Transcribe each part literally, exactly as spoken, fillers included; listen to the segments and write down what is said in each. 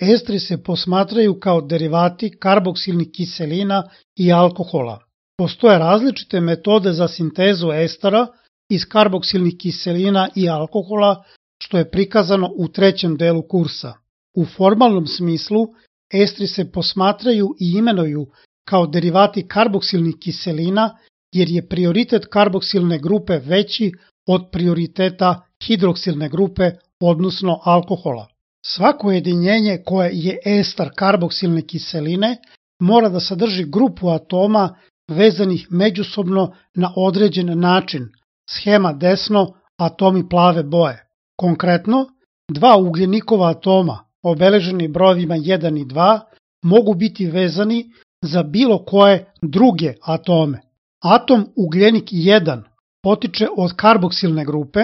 Estri se posmatraju kao derivati karboksilnih kiselina i alkohola. Postoje različite metode za sintezu estera iz karboksilnih kiselina i alkohola, što je prikazano u trećem delu kursa. U formalnom smislu, estri se posmatraju i imenuju kao derivati karboksilnih kiselina, jer je prioritet karboksilne grupe veći od prioriteta hidroksilne grupe, odnosno alkohola. Svako jedinjenje koje je ester karboksilne kiseline mora da sadrži grupu atoma vezanih međusobno na određen način, schema desno, atomi plave boje. Konkretno, dva ugljenikova atoma, obeleženi brojevima jedan i dva, mogu biti vezani za bilo koje druge atome. Atom ugljenik jedan potiče od karboksilne grupe,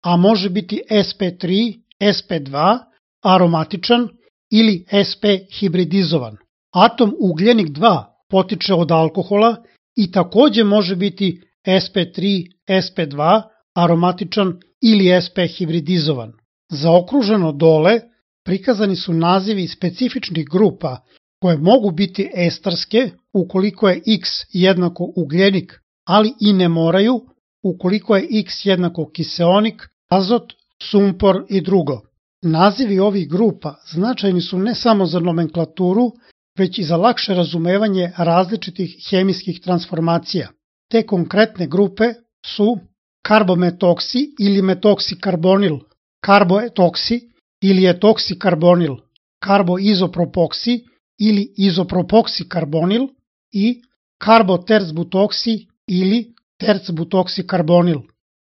a može biti es pe tri, es pe dva, aromatičan ili es pe hibridizovan. Atom ugljenik dva potiče od alkohola i takođe može biti es pe tri, es pe dva, aromatičan ili es pe hibridizovan. Zaokruženo dole prikazani su nazivi specifičnih grupa koje mogu biti estarske ukoliko je X jednako ugljenik, ali i ne moraju ukoliko je X jednako kiseonik, azot, sumpor i drugo. Nazivi ovih grupa značajni su ne samo za nomenklaturu, već i za lakše razumevanje različitih hemijskih transformacija. Te konkretne grupe su karbometoksi ili metoksikarbonil, karboetoksi ili etoksi-karbonil, karboizopropoksi ili izopropoksi-karbonil i karboterzbutoksi ili terzbutoksi-karbonil.